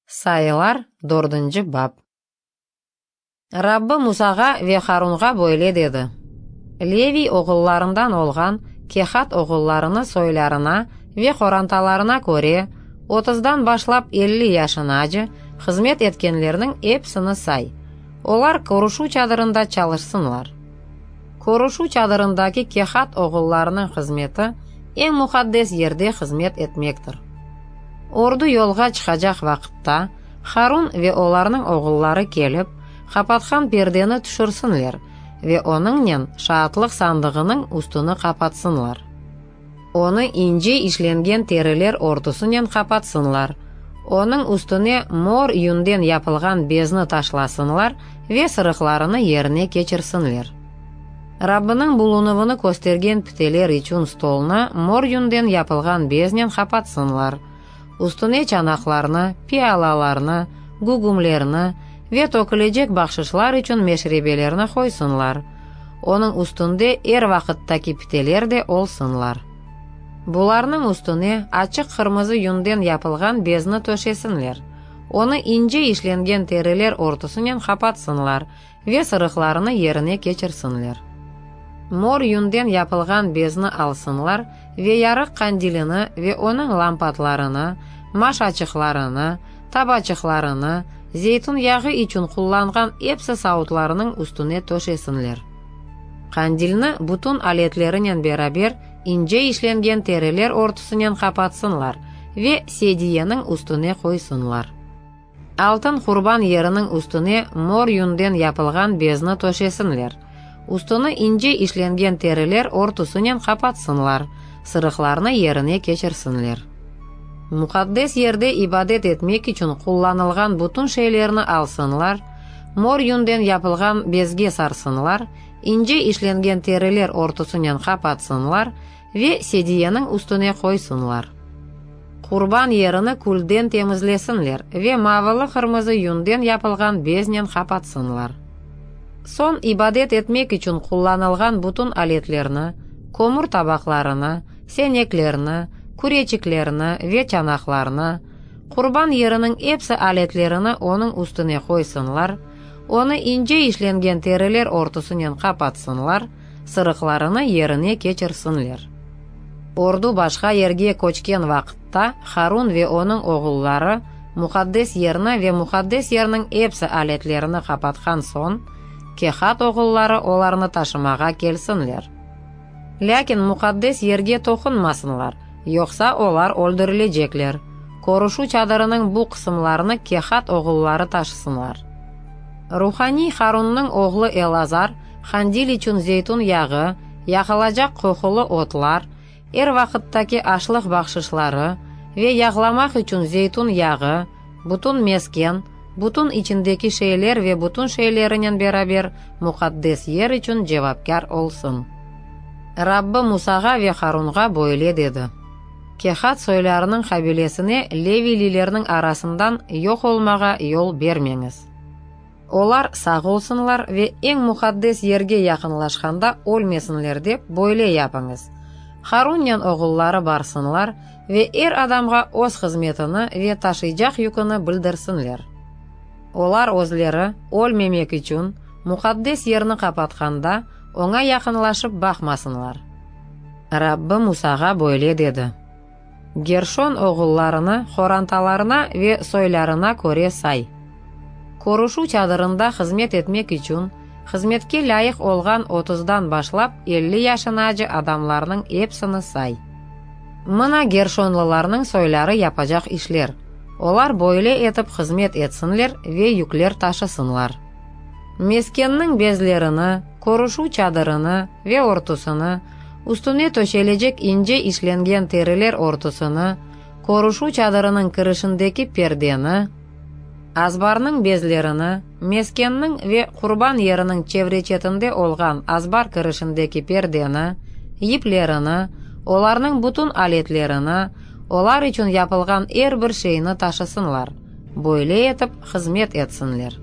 Sayılar, dördünci bap. Rabbi Musağa ve Harunğa böyle dedi, Leviy oğullarından olğan Kehat oğullarını soylarına ve qorantalarına köre, otuzdan başlap 50 yaşınace hızmet etkenlerniñ episini say. Olar körüşüv çadırında çalışsınlar. Körüşüv çadırındaki Kehat oğullarınıñ hızmeti, eñ muqaddes yerde hızmet etmektir. Ordu yolğa çıqacaq vaqıtta, Harun ve olarnıñ oğulları kelip, qapatqan perdeni tüşürsinler ve onıñnen şaatlıq sandığınıñ üstüni qapatsınlar. Onı ince işlengen teriler örtüsinen qapatsınlar, onıñ üstüne mor yünden yapılğan bezni taşlasınlar ve sırıqlarını yerine keçirsinler. Rabbiniñ bulunuvını köstergen piteler içün stolnı mor yünden yapılğan beznen qapatsınlar, üstüne çanaqlarnı, pialalarnı, gügümlerni ve tökülecek bahşışlar içün meşrebelerni qoysınlar, onıñ üstünde er vaqıttaki piteler de olsunlar. Bularnıñ üstüne açıq qırmızı yünden yapılğan bezni töşesinler, onı ince işlengen teriler örtüsinen qapatsınlar ve sırıqlarını yerine keçirsinler. Mor yünden yapılğan bezni alsınlar ve yarıq qandilini ve onıñ lampatlarını, maşaçıqlarını, tabaçıqlarını, zeytün yağı içün qullanğan epsi savutlarınıñ üstüne töşesinler. Qandilni bütün aletlerinen beraber ince işlengen teriler örtüsinen qapatsınlar ve sediyeniñ üstüne qoysınlar. Altın qurban yeriniñ üstüne mor yünden yapılğan bezni töşesinler. Üstüni ince işlengen teriler örtüsinen qapatsınlar, sırıqlarnı yerine keçirsinler. Muqaddes yerde ibadet etmek içün qullanılğan bütün şeylerni alsınlar, mor yünden yapılğan bezge sarsınlar, ince işlengen teriler örtüsinen qapatsınlar ve sediyeniñ üstüne qoysınlar. Qurban yerini külden temizlesinler ve mavılı-qırmızı yünden yapılğan beznen qapatsınlar. Soñ ibadet etmek içün qullanılğan bütün aletlerni, kömür tabaqlarını, seneklerni, küreçiklerni ve çanaqlarnı, qurban yeriniñ epsi aletlerini onıñ üstüne qoysınlar, onı ince işlengen teriler örtüsinen qapatsınlar, sırıqlarını yerine keçirsinler. Ordu başqa yerge köçken vaqıtta Harun ve onıñ oğulları muqaddes yerni ve muqaddes yerniñ epsi aletlerini qapatqan soñ, Kehat oğulları olarnı taşımağa kelsinler. Lâkin muqaddes yerge toqunmasınlar, yoqsa olar öldürilecekler. Körüşüv çadırınıñ bu qısımlarını Kehat oğulları taşısınlar. Ruhaniy Harunnıñ oğlu Elazar qandil içün zeytün yağı, yaqılacaq qoqulı otlar, er vaqıttaki aşlıq bahşışları ve yağlamaq içün zeytün yağı, bütün mesken, bütün içindeki şeyler ve bütün şeylerinen beraber muqaddes yer içün cevapkâr olsun. Rabbi Musağa ve Harunğa böyle dedi, Kehat soylarınıñ qabilesine leviylilerniñ arasından yoq olmağa yol bermeñiz. Olar sağ olsunlar ve eñ muqaddes yerge yaqınlaşqanda ölmesinler dep, böyle yapıñız, Harunnen oğulları barsınlar ve er adamğa öz hızmetini ve taşıycaq yüküni bildirsinler. Olar özleri, ölmemek içün, muqaddes yerni qapatqanda, oña yaqınlaşıp baqmasınlar. Rabbi Musağa böyle dedi, Gerşon oğullarını qorantalarına ve soylarına köre say. Körüşüv çadırında hızmet etmek içün hızmetke lâyıq olğan otuzdan başlap 50 yaşınace adamlarnıñ episini say. Mına gerşonlılarnıñ soyları yapacaq işler, olar böyle etip hızmet etsinler ve yükler taşısınlar. Meskenniñ bezlerini, körüşüv çadırını ve örtüsini, üstüne töşelecek ince işlengen teriler örtüsini, körüşüv çadırınıñ kirişindeki perdeni, azbarnıñ bezlerini, meskenniñ ve qurban yeriniñ çevre-çetinde olğan azbar kirişindeki perdeni, yiplerini, olarnıñ bütün aletlerini, olar içün yapılğan er bir şeyni taşısınlar, böyle etip hızmet etsinler.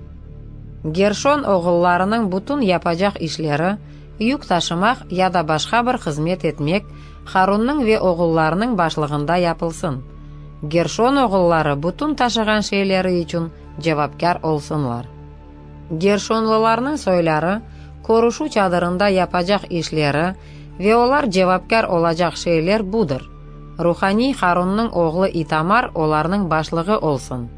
Gerşon oğullarınıñ bütün yapacaq işleri, yük taşımaq ya da başqa bir hızmet etmek, Harunnıñ ve oğullarınıñ başlığında yapılsın. Gerşon oğulları bütün taşığan şeyleri içün cevapkâr olsunlar. Gerşonlılarnıñ soyları körüşüv çadırında yapacaq işleri ve olar cevapkâr olacaq şeyler budır. Ruhaniy Harunnıñ oğlu İtamar olarnıñ başlığı olsun.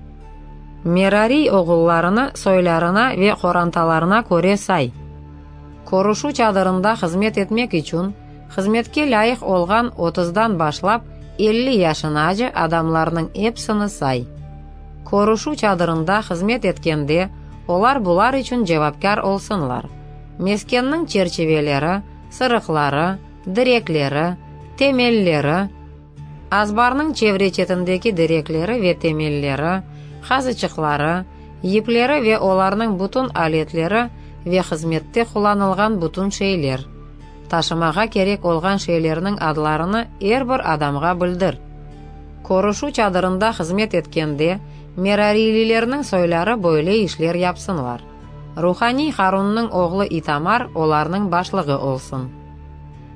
Merariy oğullarını soylarına ve qorantalarına köre say. Körüşüv çadırında hızmet etmek içün hızmetke lâyıq olğan otuzdan başlap 50 yaşınace adamlarnıñ episini say. Körüşüv çadırında hızmet etkende olar bular içün cevapkâr olsunlar, meskenniñ çerçiveleri, sırıqları, direkleri, temelleri, azbarnıñ çevre-çetindeki direkleri ve temelleri, qazıçıqları, yipleri ve olarnıñ bütün aletleri ve hızmette qullanılğan bütün şeyler. Taşımağa kerek olğan şeylerniñ adlarını er bir adamğa bildir. Körüşüv çadırında hızmet etkende, merariylilerniñ soyları böyle işler yapsınlar. Ruhaniy Harunnıñ oğlu İtamar olarnıñ başlığı olsun.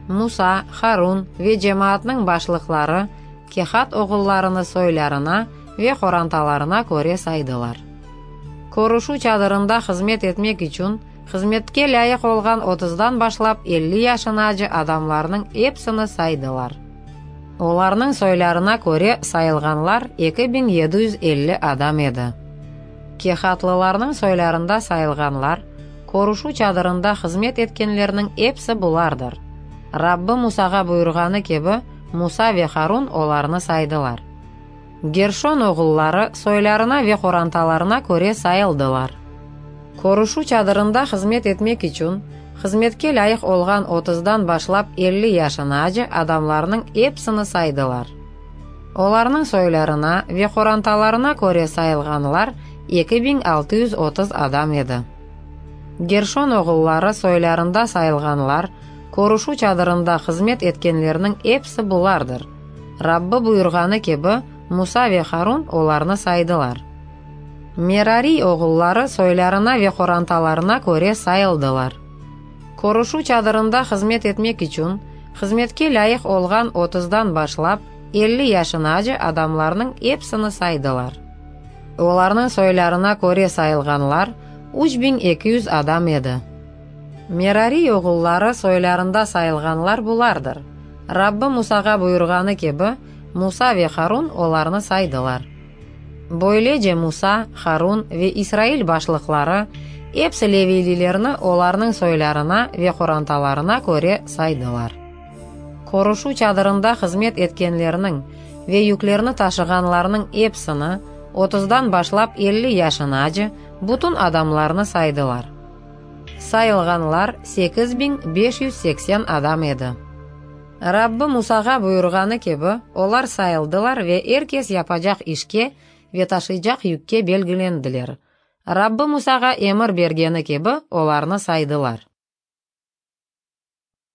Musa, Harun ve cemaatnıñ başlıqları Kehat oğullarını soylarına ve qorantalarına köre saydılar. Körüşüv çadırında hızmet etmek içün hızmetke lâyıq olğan otuzdan başlap 50 yaşınace adamlarnıñ episini saydılar. Olarnıñ soylarına köre sayılğanlar 2750 adam edi. Kehatlılarnıñ soylarında sayılğanlar, körüşüv çadırında hızmet etkenlerniñ episi bulardır. Rabbi Musağa buyurğanı kibi, Musa ve Harun olarnı saydılar. Gerşon oğulları soylarına ve qorantalarına köre sayıldılar. Körüşüv çadırında hızmet etmek içün hızmetke lâyıq olğan otuzdan başlap 50 yaşınace adamlarnıñ episini saydılar. Olarnıñ soylarına ve qorantalarına köre sayılğanlar 2630 adam edi. Gerşon oğulları soylarında sayılğanlar, körüşüv çadırında hızmet etkenlerniñ episi bulardır. Rabbi buyurğanı kibi, Musa ve Harun olarnı saydılar. Merariy oğulları soylarına ve qorantalarına köre sayıldılar. Körüşüv çadırında hızmet etmek içün hızmetke lâyıq olğan otuzdan başlap 50 yaşınace adamlarnıñ episini saydılar. Olarnıñ soylarına köre sayılğanlar 3200 adam edi. Merariy oğulları soylarında sayılğanlar bulardır. Rabbi Musağa buyurğanı kibi, Musa ve Harun olarnı saydılar. Böylece Musa, Harun ve İsrail başlıqları episi leviylilerni olarnıñ soylarına ve qorantalarına köre saydılar. Körüşüv çadırında hızmet etkenlerniñ ve yüklerni taşığanlarnıñ episini, otuzdan başlap 50 yaşınace bütün adamlarnı saydılar. Sayılğanlar 8580 adam edi. Rabbi Musağa buyurğanı kibi, olar sayıldılar ve er kes yapacaq işke ve taşıycaq yükke belgilendiler. Rabbi Musağa emir bergeni kibi, olarnı saydılar.